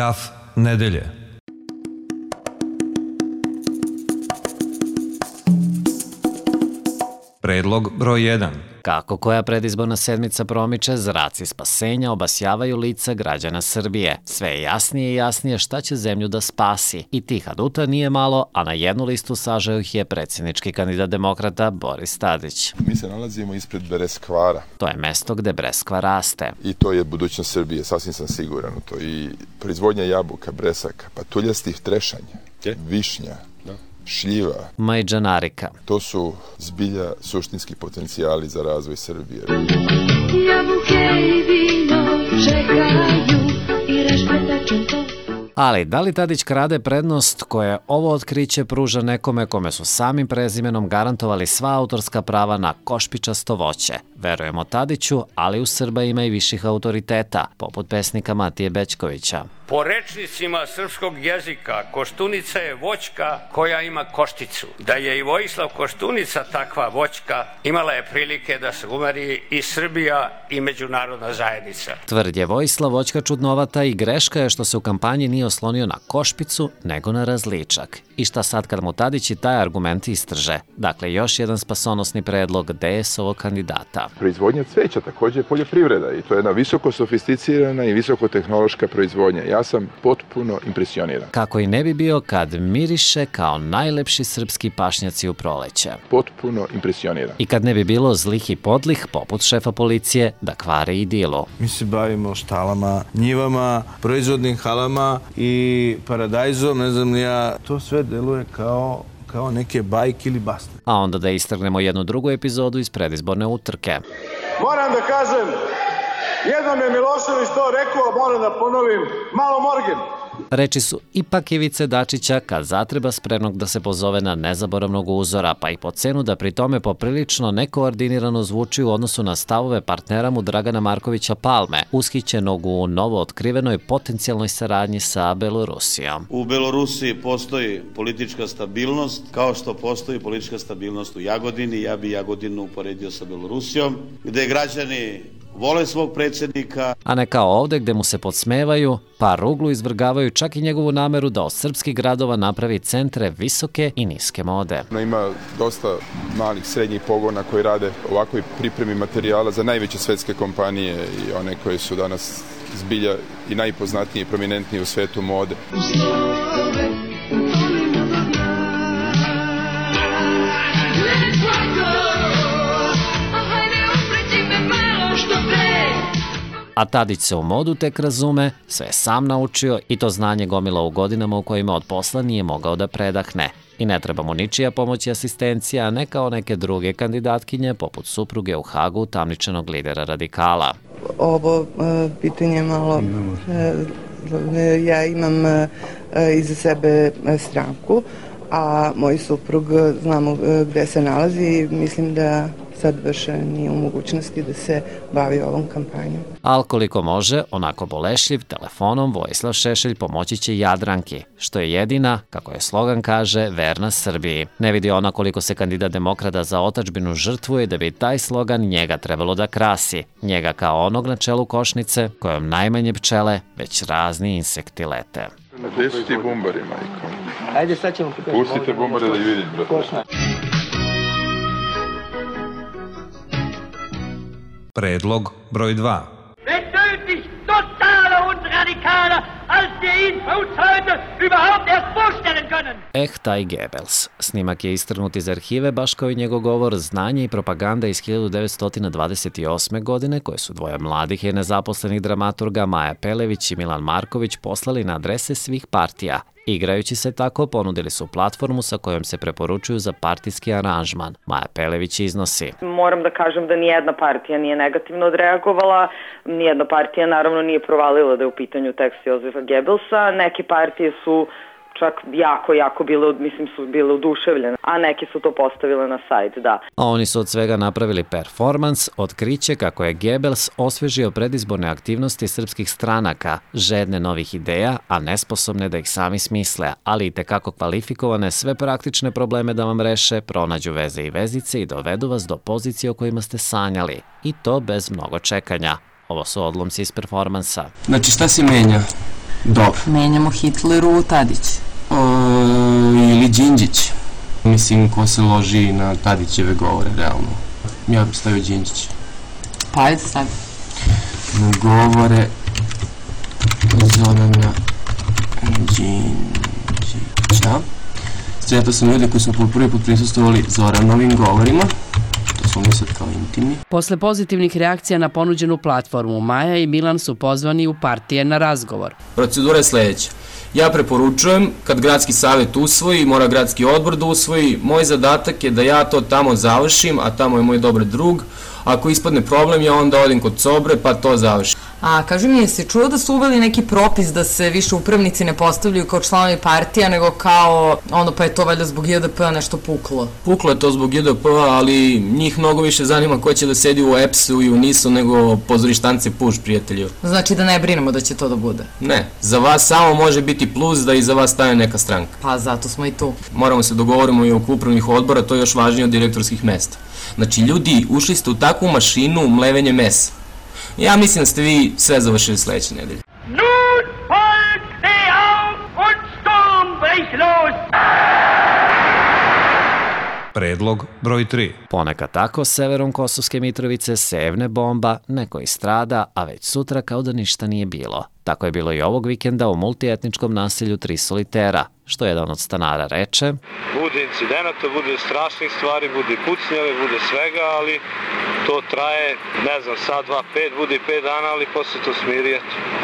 Graf nedelje. Predlog broj 1. Kako koja predizborna sedmica promiče, zraci spasenja obasjavaju lica građana Srbije. Sve je jasnije i jasnije šta će zemlju da spasi. I tih aduta nije malo, a na jednu listu sažao ih je predsjednički kandidat demokrata Boris Tadić. Mi se nalazimo ispred Breskvara. To je mesto gde breskva raste. I to je budućnost Srbije, sasvim sam siguran u to. I proizvodnja jabuka, bresaka, patuljastih trešanja, višnja, šljiva, majđanarika. To su zbilja suštinski potencijali za razvoj Srbije. Jabuke i vino čekaju i rešpetačem to. Ali, da li Tadić krade prednost koje ovo otkriće pruža nekome kome su samim prezimenom garantovali sva autorska prava na košpičasto voće? Verujemo Tadiću, ali u Srba ima i viših autoriteta, poput pesnika Matije Bećkovića. Po rečnicima srpskog jezika, Koštunica je voćka koja ima košticu. Da je i Vojislav Koštunica takva voćka, imala je prilike da se umeri i Srbija i međunarodna zajednica. Tvrd je Vojislav voćka čudnovata i greška je što se u kampanji nije oslonio na košpicu, nego na različak. I šta sad kad mu Tadić i taj argument istrže? Dakle, još jedan spasonosni predlog DS-ovog kandidata. Proizvodnja cveća također je poljoprivreda i to je jedna visoko sofisticirana i visokotehnološka proizvodnja. Ja sam potpuno impresioniran. Kako i ne bi bio kad miriše kao najlepši srpski pašnjaci u proleće. Potpuno impresioniran. I kad ne bi bilo zlih i podlih, poput šefa policije, da kvare idilu. Mi se bavimo štalama, njivama, proizvodnim halama i paradajzom, ne znam ni ja. To sve deluje kao neke bajke ili baste. A onda da istrgnemo jednu drugu epizodu iz predizborne utrke. Moram da kažem, jednom je Milošević to rekao, moram da ponovim, malo morgen. Reči su ipak Ivice Dačića kad zatreba spremnog da se pozove na nezaboravnog uzora, pa i po cenu da pri tome poprilično nekoordinirano zvuči u odnosu na stavove partnera mu Dragana Markovića Palme, ushićenog u novo otkrivenoj potencijalnoj saradnji sa Belorusijom. U Belorusiji postoji politička stabilnost, kao što postoji politička stabilnost u Jagodini. Ja bi Jagodinu uporedio sa Belorusijom, gde građani vole svog predsjednika. A ne kao ovde gde mu se podsmevaju, pa ruglu izvrgavaju čak i njegovu nameru da od srpskih gradova napravi centre visoke i niske mode. Ima dosta malih srednjih pogona koji rade ovakvoj pripremi materijala za najveće svetske kompanije i one koje su danas zbilja i najpoznatnije i prominentnije u svetu mode. A Tadić se u modu tek razume, sve je sam naučio i to znanje gomila u godinama u kojima od posla nije mogao da predahne. I ne treba mu ničija pomoć i asistencija, a ne kao neke druge kandidatkinje, poput supruge u Hagu tamničanog lidera radikala. Ovo pitanje malo, ja imam iza sebe stranku, a moj suprug znamo gde se nalazi i mislim da sad više nije u mogućnosti da se bavi ovom kampanjom. Al koliko može, onako bolešljiv, telefonom Vojislav Šešelj pomoći će Jadranki, što je jedina, kako je slogan kaže, verna Srbiji. Ne vidi ona koliko se kandidat demokrata za otadžbinu žrtvuje da bi taj slogan njega trebalo da krasi. Njega kao onog na čelu košnice, kojom najmanje pčele, već razni insekti lete. Gde su ti bumbari, majko? Ajde, sad ćemo pokazati. Pustite bumbare da ih vidim, brate. Predlog broj 2. Wenn nötig, totaler und radikaler, als wir ihn uns heute überhaupt erst vorstellen können. Taj Goebbels. Snimak je istrgnut iz arhive, baš kao i njegov govor Znanje i propaganda iz 1928. godine, koje su dvoje mladih i nezaposlenih dramaturga Maja Pelević i Milan Marković poslali na adrese svih partija. Igrajući se tako, ponudili su platformu sa kojom se preporučuju za partijski aranžman. Maja Pelević iznosi. Moram da kažem da nijedna partija nije negativno odreagovala, nijedna partija naravno nije provalila da je u pitanju tekst Jozefa Goebbelsa, neke partije su čak jako bile oduševljene, a neke su to postavile na sajt, da. A oni su od svega napravili performans, otkriće kako je Goebbels osvežio predizborne aktivnosti srpskih stranaka, žedne novih ideja, a nesposobne da ih sami smisle, ali i tekako kvalifikovane sve praktične probleme da vam reše, pronađu veze i vezice i dovedu vas do pozicije o kojima ste sanjali. I to bez mnogo čekanja. Ovo su odlomci iz performansa. Znači šta se menja? Dobro. Menjamo Hitleru u Tadić. Ili Đinđić. Mislim, ko se loži na Tadićeve govore, realno. Ja bih stavio Đinđić. Pa ajde stavi. Govore Zorana Đinđića. Sretao sam ljude koji su po prvi put prisustvovali Zoranovim govorima. To smo mi sad kao intimni. Posle pozitivnih reakcija na ponuđenu platformu, Maja i Milan su pozvani u partije na razgovor. Procedura je sledeća. Ja preporučujem, kad gradski savjet usvoji, mora gradski odbor da usvoji, moj zadatak je da ja to tamo završim, a tamo je moj dobar drug. Ako ispadne problem, ja onda odim kod Cobre pa to završim. A kaži mi, jesi čuo da su uveli neki propis da se više upravnici ne postavljaju kao članovi partija, nego kao, pa je to valjda zbog JDP-a nešto puklo? Puklo je to zbog JDP-a, ali njih mnogo više zanima ko će da sedi u EPS-u i u NIS-u nego pozorištance Puš, prijatelju. Znači da ne brinemo da će to da bude? Ne, za vas samo može biti plus da iza vas stane neka stranka. Pa zato smo i tu. Moramo se dogovorimo i oko upravnih odbora, to je još važnije od direktorskih mesta. Znači, ljudi, ušli ste u takvu mašinu mlevenje mesa. Ja mislim da ste vi sve završili sledeće nedelje. Nun folgt steh auf und Sturm bricht los! Predlog broj 3. Ponekad tako severom Kosovske Mitrovice sevne bomba, neko istrada, a već sutra kao da ništa nije bilo. Tako je bilo i ovog vikenda u multietničkom naselju Tri Solitera, što jedan od stanara reče: Bude incidenata, bude strašnih stvari, bude pucnjave, bude svega, ali to traje, ne znam, sad, 2, 5, bude i 5 dana, ali posle to smiri,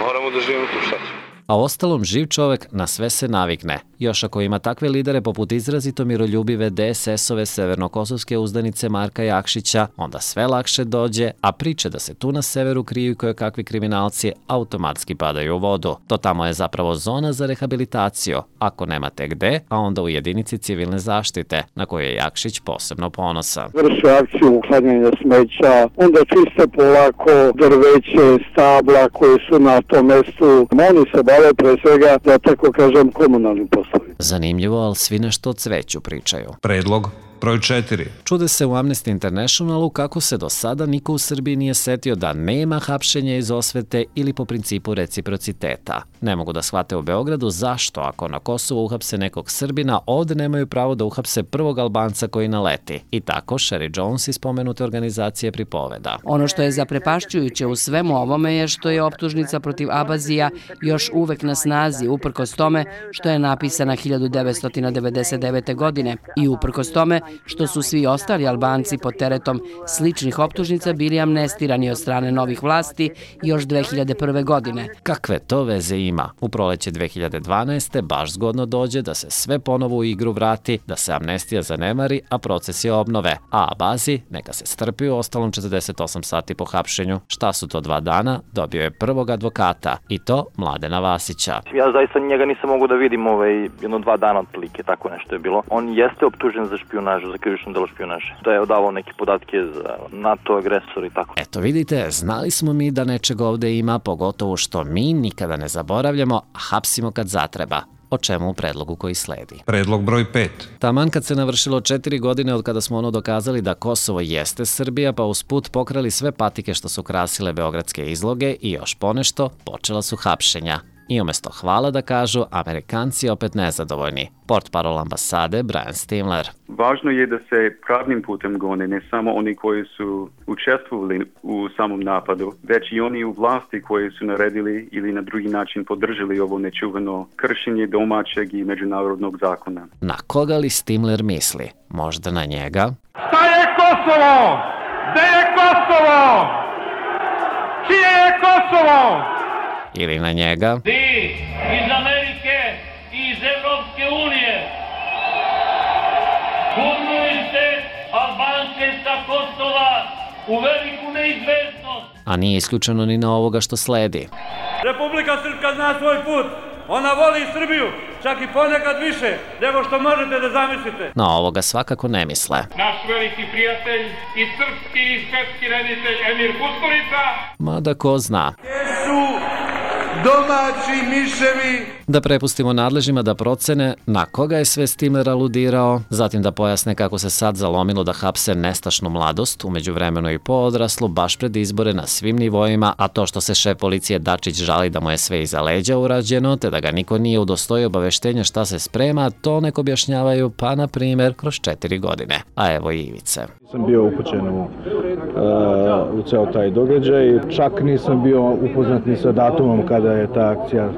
moramo da živimo tu, šta ćemo. A ostalom, živ čovek na sve se navikne. Još ako ima takve lidere poput izrazito miroljubive DSS-ove severnokosovske uzdanice Marka Jakšića, onda sve lakše dođe, a priče da se tu na severu kriju kojekakvi kriminalci automatski padaju u vodu. To tamo je zapravo zona za rehabilitaciju, ako nemate gde, a onda u jedinici civilne zaštite, na koju je Jakšić posebno ponosan. Vrše akciju uklanjanja smeća, onda čiste polako drveće, stabla koje su na tom mestu. Oni se bave pre svega, da tako kažem, komunalnim poslovima. Zanimljivo, ali svi nešto o cveću pričaju. Predlog broj 4. Čude se u Amnesty Internationalu kako se do sada niko u Srbiji nije setio da nema hapšenja iz osvete ili po principu reciprociteta. Ne mogu da shvate u Beogradu zašto, ako na Kosovu uhapse nekog Srbina, ovde nemaju pravo da uhapse prvog Albanca koji naleti. I tako Sherry Jones iz spomenute organizacije pripoveda. Ono što je zaprepašćujuće u svemu ovome je što je optužnica protiv Abazija još uvek na snazi, uprkos tome što je napisana 1999. godine i uprkos tome što su svi ostali Albanci pod teretom sličnih optužnica bili amnestirani od strane novih vlasti još 2001. godine. Kakve to veze ima? U proleće 2012. baš zgodno dođe da se sve ponovo u igru vrati, da se amnestija zanemari, a procesi obnove. A Abazi neka se strpi u ostalom 48 sati po hapšenju. Šta su to 2 dana? Dobio je prvog advokata, i to Mladena Vasića. Ja zaista njega nisam mogu da vidim jedno 2 dana otprilike, tako nešto je bilo. On jeste optužen za špijunažu, za krivično delo špijunaže. Da je odavao neke podatke za NATO agresor i tako. Eto vidite, znali smo mi da nečeg ovde ima, pogotovo što mi nikada ne zaboravljamo, a hapsimo kad zatreba. O čemu u predlogu koji sledi. Predlog broj 5. Taman kad se navršilo 4 godine od kada smo ono dokazali da Kosovo jeste Srbija, pa usput pokrali sve patike što su krasile beogradske izloge i još ponešto, počela su hapšenja. I umesto hvala da kažu, Amerikanci opet nezadovoljni. Portparol ambasade Brian Stimler. Važno je da se pravnim putem gone ne samo oni koji su učestvovali u samom napadu, već i oni u vlasti koji su naredili ili na drugi način podržali ovo nečuveno kršenje domaćeg i međunarodnog zakona. Na koga li Stimler misli? Možda na njega? Šta je Kosovo? Gde je Kosovo? Čije je Kosovo? Ili na njega? Vi iz Amerike i iz Evropske unije gurnujete Albance sa Kosova u veliku neizvesnost. A nije isključeno ni na ovoga što sledi. Republika Srpska zna svoj put. Ona voli Srbiju, čak i ponekad više nego što možete da zamislite. Na ovoga svakako ne misle. Naš veliki prijatelj i srpski i svetski reditelj Emir Kusturica. Mada ko zna. Gdje su domaći miševi? Da prepustimo nadležnima da procene na koga je sve Stimler aludirao, zatim da pojasne kako se sad zalomilo da hapse nestašnu mladost, umeđu vremenu i poodraslu, baš pred izbore na svim nivoima, a to što se šef policije Dačić žali da mu je sve iza leđa urađeno, te da ga niko nije udostojio obaveštenja šta se sprema, to nek objašnjavaju, pa na primer, kroz 4 godine. A evo i Ivice. Sam bio upućen u ceo taj događaj, čak nisam bio upoznat ni sa datumom kada je ta akcija.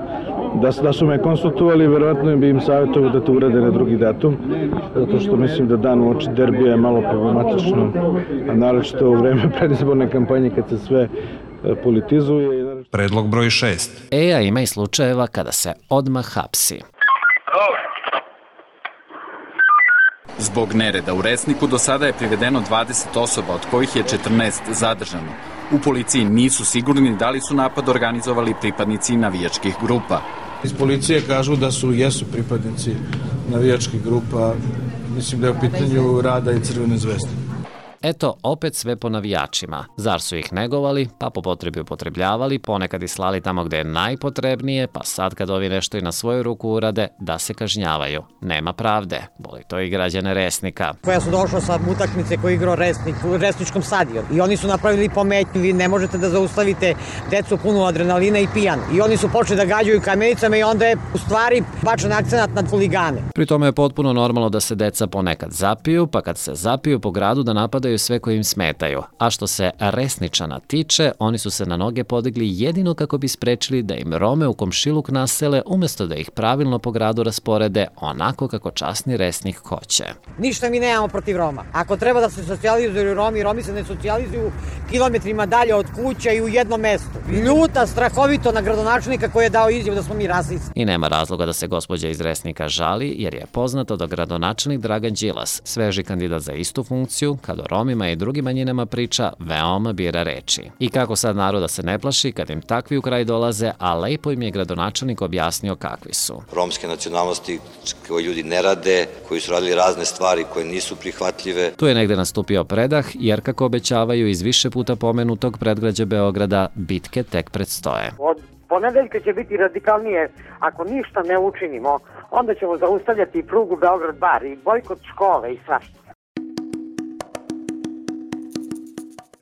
Da su me konsultovali, verovatno bi im savjetovao da to urade na drugi datum, zato što mislim da dan uoči derbija je malo problematično, a naročito u vreme predizborne kampanje kad se sve politizuje. Predlog broj 6. A ima i slučajeva kada se odmah hapsi. Zbog nereda u Resniku do sada je privedeno 20 osoba, od kojih je 14 zadržano. U policiji nisu sigurni da li su napad organizovali pripadnici navijačkih grupa. Iz policije kažu da jesu pripadnici navijačkih grupa, mislim da je u pitanju Rada i Crvene zvezde. Eto, opet sve po navijačima. Zar su ih negovali, pa po potrebi upotrebljavali, ponekad i slali tamo gde je najpotrebnije, pa sad kad ovi nešto i na svoju ruku urade, da se kažnjavaju. Nema pravde. Boli to i građane Resnika. Ja sam došao sa utakmice koji igrao Resnik u Resničkom stadionu i oni su napravili pometnju, vi ne možete da zaustavite decu punu adrenalina i pijanu. I oni su počeli da gađaju kamenicama i onda je u stvari bačen akcenat na huligane. Pri tome je potpuno normalno da se deca ponekad zapiju, pa kad se zapiju po gradu da napadaju sve koji im smetaju. A što se Resničana tiče, oni su se na noge podigli jedino kako bi sprečili da im Rome u komšiluk nasele, umesto da ih pravilno po gradu rasporede onako kako časni Resnik hoće. Ništa mi nemamo protiv Roma. Ako treba da se socijalizuju Romi se ne socijalizuju kilometrima dalje od kuća i u jednom mestu. Ljuta strahovito na gradonačelnika koji je dao izjavu da smo mi rasisti. I nema razloga da se gospođa iz Resnika žali, jer je poznato da gradonačelnik Dragan Đilas, sveži kandidat za istu funkciju, kad o Romima i drugim manjinama priča, veoma bira reči. I kako sad naroda se ne plaši kad im takvi u kraj dolaze, a lepo im je gradonačelnik objasnio kakvi su. Romske nacionalnosti koji ljudi ne rade, koji su radili razne stvari koje nisu prihvatljive. Tu je negde nastupio predah, jer kako obećavaju iz više puta pomenutog predgrađa Beograda, bitke tek predstoje. Od ponedeljka će biti radikalnije. Ako ništa ne učinimo, onda ćemo zaustavljati i prugu Beograd-Bar i bojkot škole i svašta.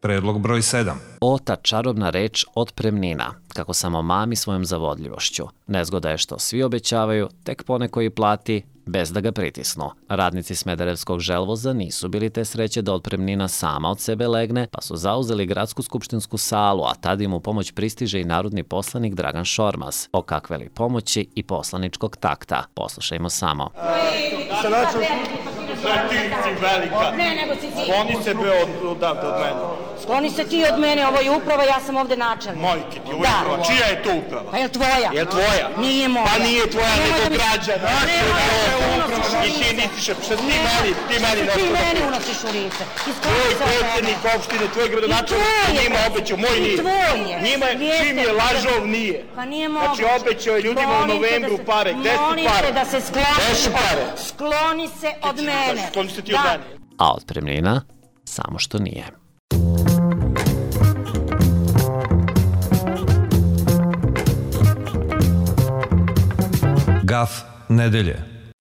Predlog broj 7. O, ta čarobna reč otpremnina, kako samo mami svojom zavodljivošću. Nezgoda je što svi obećavaju, tek poneko i plati, bez da ga pritisnu. Radnici Smederevskog želvoza nisu bili te sreće da otpremnina sama od sebe legne, pa su zauzeli gradsku skupštinsku salu, a tad im u pomoć pristiže i narodni poslanik Dragan Šormaz. O kakve li pomoći i poslaničkog takta. Poslušajmo samo. Ti velika. Ne, nego si ti. Skloni se odavde od mene. Skloni se ti od mene, ovo je uprava, ja sam ovde načelnik. Majke ti, ovo je uprava. Čija je to uprava? Pa je li tvoja? Je li tvoja? Nije moja. Pa nije tvoja, nego građana. I ti nisi še, što ti meni nešto. Ti meni unosiš u lice. Tvoj predsjednik opštine, tvoj gradonačelnik, njima obećao, moj nije. I tvoj je. Njima, čim je lažov, nije. Pa nije moguće. Znači obećao je ljudima u novembru pare. Gde su pare? Molim te da se skloniš. Gde su pare? Skloni se od mene. Skloni se ti od mene. A otpremnina? Samo što nije. Gaf nedelje.